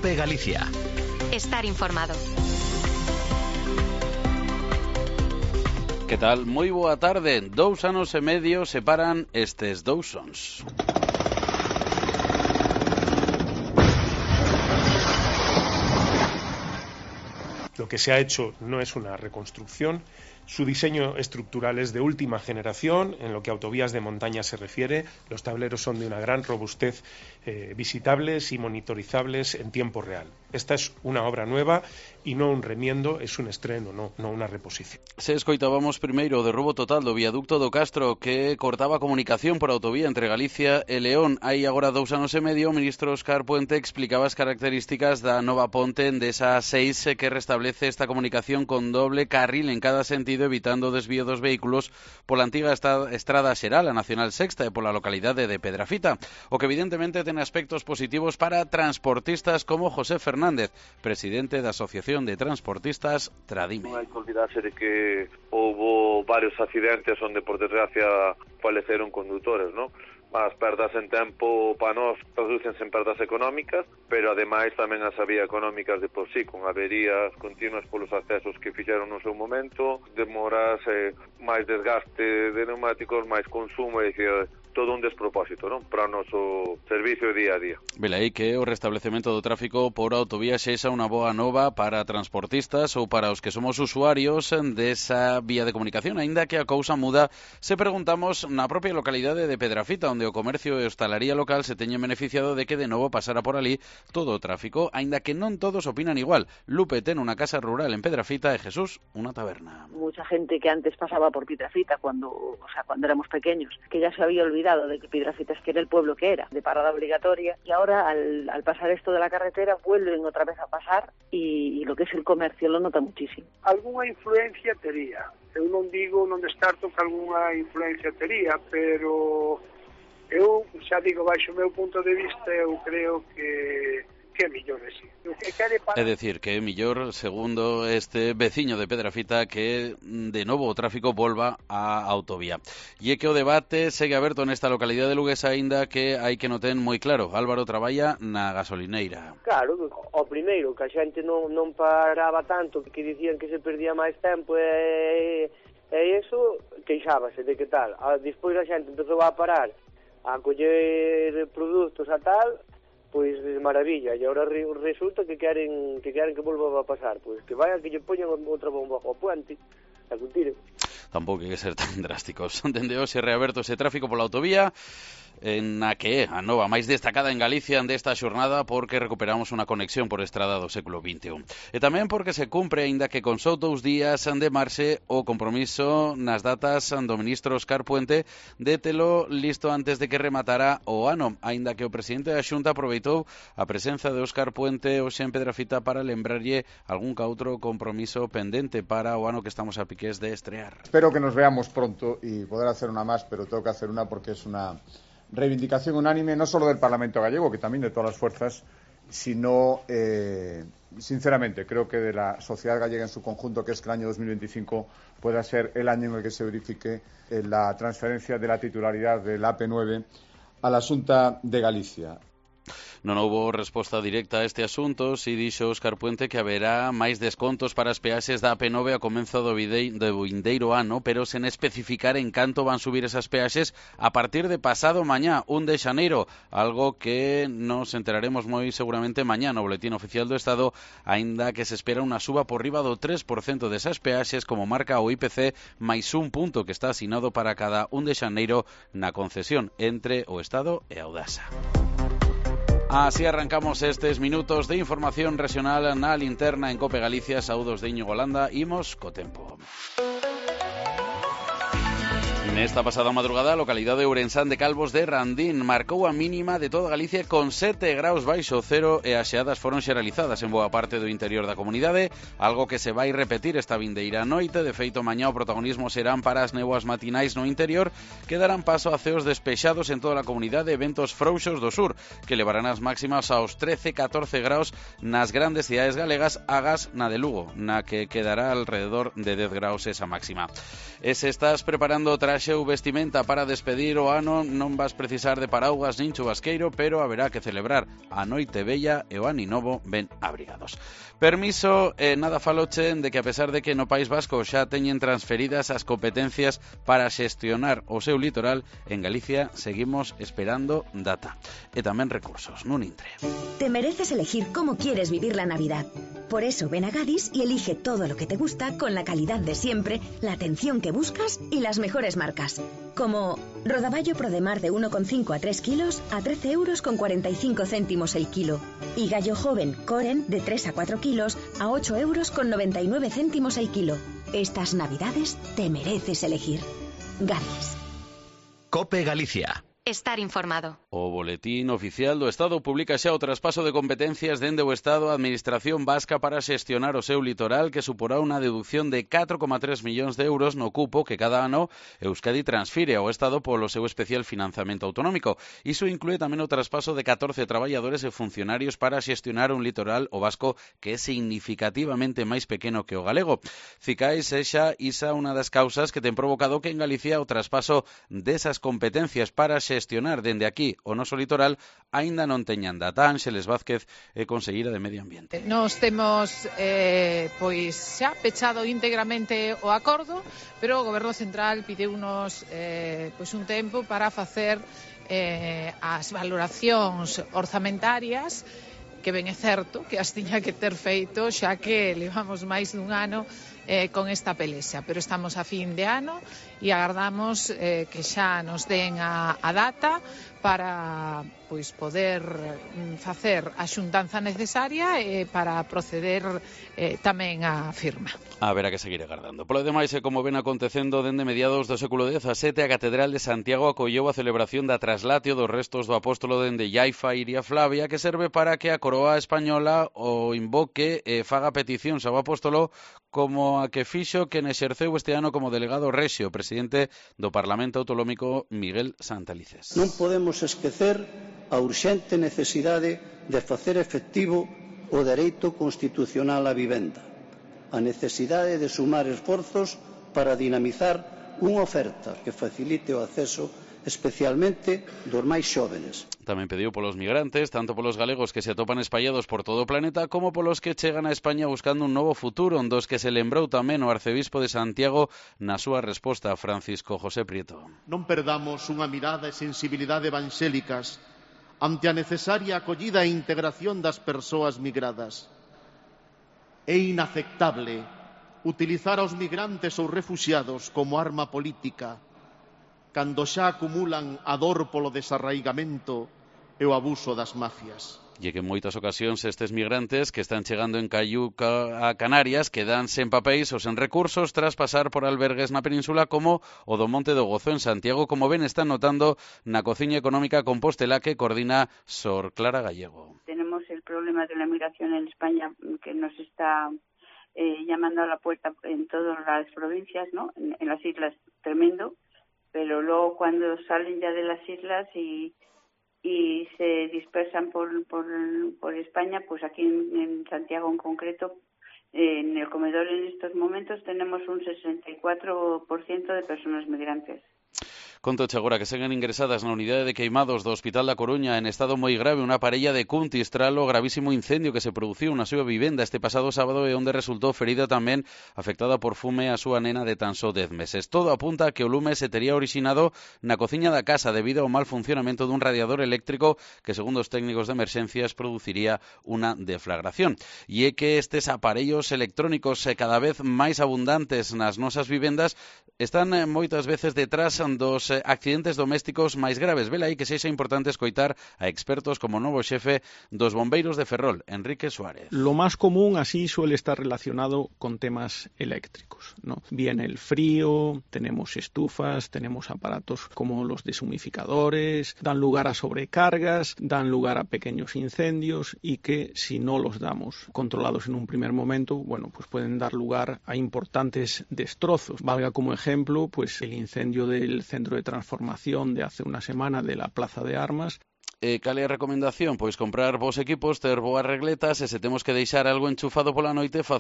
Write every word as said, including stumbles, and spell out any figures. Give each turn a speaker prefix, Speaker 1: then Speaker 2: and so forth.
Speaker 1: COPE Galicia.
Speaker 2: Estar informado.
Speaker 3: Que tal? Moi boa tarde. Dous anos e medio separan estes dous sons.
Speaker 4: Lo que se ha hecho no es una reconstrucción. Su diseño estructural es de última generación en lo que a autovías de montaña se refiere. Los tableros son de una gran robustez, eh, visitables y monitorizables en tiempo real. Esta es una obra nueva e non un remiendo, es un estreno, no, no unha reposición.
Speaker 3: Se escoitábamos primeiro o derrubo total do viaducto do Castro que cortaba a comunicación por autovía entre Galicia e León. Hai agora dous anos e medio, o ministro Óscar Puente explicaba as características da nova ponte desa seis que restablece esta comunicación con doble carril en cada sentido, evitando o desvío dos vehículos pola antiga estrada xeral, a Nacional Sexta, e pola localidade de Pedrafita, o que evidentemente ten aspectos positivos para transportistas como José Fernández, presidente da Asociación de Transportistas Tradime.
Speaker 5: Non hai que olvidarse de que houve varios accidentes onde, por desgracia, faleceron condutores, non? As perdas en tempo para nós tradúcense en perdas económicas, pero ademais tamén as había económicas de por sí, con averías continuas polos accesos que fixeron no seu momento, demoras, eh, máis desgaste de neumáticos, máis consumo, e dicir, todo un despropósito, non? Para o noso servicio día a día.
Speaker 3: Velaí que o restablecemento do tráfico por autovía sexa unha boa nova para transportistas ou para os que somos usuarios desa vía de comunicación, aínda que a cousa muda se preguntamos na propia localidade de Pedrafita, onde o comercio e hostalaría local se teñen beneficiado de que de novo pasara por ali todo o tráfico, aínda que non todos opinan igual. Lupe ten unha casa rural en Pedrafita e Jesús unha taberna.
Speaker 6: Mucha gente que antes pasaba por Pedrafita cuando, o sea, cuando éramos pequeños, que ya se había olvidado de que Pedrafita es que era el pueblo que era, de parada obligatoria, y ahora al, al pasar esto de la carretera vuelven otra vez a pasar y, y lo que es el comercio lo nota muchísimo.
Speaker 7: Alguna influencia tería, eu non digo, non descarto que alguna influencia tería, pero eu xa digo, baixo o meu punto de vista, eu creo que que é millor, sí.
Speaker 3: É dicir, que é millor, segundo este veciño de Pedrafita, que de novo o tráfico volva á autovía. E é que o debate segue aberto nesta localidade de Lugués, aínda que hai que non ten moi claro. Álvaro traballa na gasolineira.
Speaker 8: Claro, o primeiro, que a xente non, non paraba tanto, que dicían que se perdía máis tempo e, e iso, queixábase de que tal. A, despois a xente empezou a parar a coller produtos a tal, pois de maravilla, e agora resulta que queren que queren que volva a pasar, pois que vayan, que lle poñan outra bomba ao puente, a que tire.
Speaker 3: Tampouco hai que ser tan drásticos. Dende hoxe reaberto ese tráfico pola autovía, en a que é a nova máis destacada en Galicia desta xornada, porque recuperamos unha conexión por estrada do século vinte e un. E tamén porque se cumpre, aínda que con só dous días de marxe, o compromiso nas datas do ministro Óscar Puente de telo listo antes de que rematara o ano, aínda que o presidente da Xunta aproveitou a presenza de Óscar Puente hoxe en Pedrafita para lembrarlle algún ca outro compromiso pendente para o ano que estamos a piques de estrear.
Speaker 9: Espero que nos veamos pronto y poder hacer una más, pero tengo que hacer una porque es una reivindicación unánime, no solo del Parlamento gallego, que también de todas las fuerzas, sino, eh, sinceramente, creo que de la sociedad gallega en su conjunto, que es que el año dos mil veinticinco pueda ser el año en el que se verifique eh, la transferencia de la titularidad del A P nueve a la Xunta de Galicia.
Speaker 3: Non houbo resposta directa a este asunto, si dixo Óscar Puente que haberá máis descontos para as peaxes da A P nove a comenzo do vindeiro ano, pero sen especificar en canto van subir esas peaxes a partir de pasado mañá, un de xaneiro, algo que nos enteraremos moi seguramente mañá no Boletín Oficial do Estado, aínda que se espera unha suba por riba do tres por cento desas peaxes, como marca o I P C, máis un punto que está asinado para cada un de xaneiro na concesión entre o Estado e a Audasa. Así arrancamos estes minutos de información regional na linterna en Cope Galicia. Saúdos de Íñigo Landa, imos co tempo. Nesta pasada madrugada, a localidade de Ourensán de Calvos de Randín marcou a mínima de toda Galicia con sete graus baixo cero e as xeadas foron xeralizadas en boa parte do interior da comunidade, algo que se vai repetir esta vindeira noite. De feito, mañá o protagonismo serán para as néboas matinais no interior, que darán paso a ceos despexados en toda a comunidade e ventos frouxos do sur, que levarán as máximas aos trece a catorce graus nas grandes cidades galegas, agás na de Lugo, na que quedará alrededor de dez graus esa máxima. E se estás preparando tras traxe ou vestimenta para despedir o ano, non vas precisar de paraugas nin chubasqueiro, pero haberá que celebrar a noite bella e o ano novo ben abrigados. Permiso, eh, nada faloche de que a pesar de que no País Vasco xa teñen transferidas as competencias para xestionar o seu litoral, en Galicia seguimos esperando data e tamén recursos nun intre.
Speaker 1: Te mereces elegir cómo quieres vivir la Navidad. Por eso ven a Gadis y elige todo lo que te gusta con la calidad de siempre, la atención que buscas y las mejores marcas. Como rodaballo Prodemar de uno coma cinco a tres kilos a trece euros con cuarenta y cinco céntimos el kilo. Y gallo joven Coren de tres a cuatro kilos a ocho euros con noventa y nueve céntimos el kilo. Estas Navidades te mereces elegir. Gadis.
Speaker 10: COPE Galicia.
Speaker 2: Estar informado.
Speaker 3: O Boletín Oficial do Estado publica xa o traspaso de competencias dende o Estado á Administración Vasca para xestionar o seu litoral, que suporá unha deducción de catro coma tres millóns de euros no cupo que cada ano Euskadi transfire ao Estado polo seu especial financiamento autonómico. Iso inclúe tamén o traspaso de catorce traballadores e funcionarios para xestionar un litoral o vasco que é significativamente máis pequeno que o galego. Cicais é xa isa unha das causas que ten provocado que en Galicia o traspaso desas competencias para xestionar dende aquí o noso litoral aínda non teñan data. Ángeles Vázquez é conselleira de Medio Ambiente.
Speaker 11: Nos temos eh, pois xa pechado íntegramente o acordo, pero o Goberno Central pideunos eh, pois un tempo para facer eh, as valoracións orzamentarias, que ben é certo que as tiña que ter feito xa que levamos máis dun ano eh, con esta pelexa, pero estamos a fin de ano e agardamos eh, que xa nos den a, a data para pois poder facer a xuntanza necesaria e para proceder eh, tamén á firma.
Speaker 3: Haberá que seguir agardando. Polo demais, e como ven acontecendo dende mediados do século dezasete, a Catedral de Santiago acolleu a celebración da traslatio dos restos do apóstolo dende Llaifa Iria Flavia, que serve para que a coroa española o invoque e faga peticións ao apóstolo como a que fixo quen exerceu este ano como delegado rexio, presidente do Parlamento Autonómico Miguel Santalices.
Speaker 12: Non podemos esquecer a urxente necesidade de facer efectivo o dereito constitucional á vivenda, a necesidade de sumar esforzos para dinamizar unha oferta que facilite o acceso especialmente dos máis xóvenes.
Speaker 3: Tamén pediu polos migrantes, tanto polos galegos que se atopan espallados por todo o planeta, como polos que chegan a España buscando un novo futuro, dos que se lembrou tamén o arcebispo de Santiago na súa resposta a Francisco José Prieto.
Speaker 13: Non perdamos unha mirada e sensibilidade evangélicas ante a necesaria acollida e integración das persoas migradas. É inaceptable utilizar aos migrantes ou refuxiados como arma política cando xa acumulan a dor polo desarraigamento e o abuso das mafias.
Speaker 3: E que en moitas ocasións estes migrantes que están chegando en Cayuca a Canarias quedan sen papéis ou sen recursos tras pasar por albergues na península como o do Monte do Gozo en Santiago, como ben están notando na Cociña Económica Compostela que coordina Sor Clara Gallego.
Speaker 14: Tenemos el problema de la migración en España que nos está eh, llamando a la puerta en todas las provincias, ¿no? En, en las islas, tremendo. Pero luego cuando salen ya de las islas y, y se dispersan por, por, por España, pues aquí en, en Santiago en concreto, eh, en el comedor en estos momentos tenemos un sesenta y cuatro por ciento de personas migrantes.
Speaker 3: Contoche agora que seguen ingresadas na unidade de queimados do Hospital da Coruña en estado moi grave unha parella de Cuntis tras o gravísimo incendio que se produciu na súa vivenda este pasado sábado e onde resultou ferida tamén afectada por fume a súa nena de tan só dez meses. Todo apunta a que o lume se tería orixinado na cociña da casa debido ao mal funcionamento dun radiador eléctrico que, segundo os técnicos de emerxencias, produciría unha deflagración. E é que estes aparellos electrónicos cada vez máis abundantes nas nosas vivendas están moitas veces detrás dos accidentes domésticos máis graves. Vela aí que sexa importante escoitar a expertos como o novo xefe dos bombeiros de Ferrol, Enrique Suárez.
Speaker 15: Lo más común así suele estar relacionado con temas eléctricos, ¿no? Bien el frío, tenemos estufas, tenemos aparatos como los deshumificadores, dan lugar a sobrecargas, dan lugar a pequeños incendios y que si no los damos controlados en un primer momento, bueno, pues pueden dar lugar a importantes destrozos. Valga como ejemplo, pues el incendio del centro de transformación de hace una semana de la Plaza de Armas.
Speaker 3: Eh, cal é a recomendación? Pois comprar vos equipos, ter boas regletas e se temos que deixar algo enchufado pola noite, facer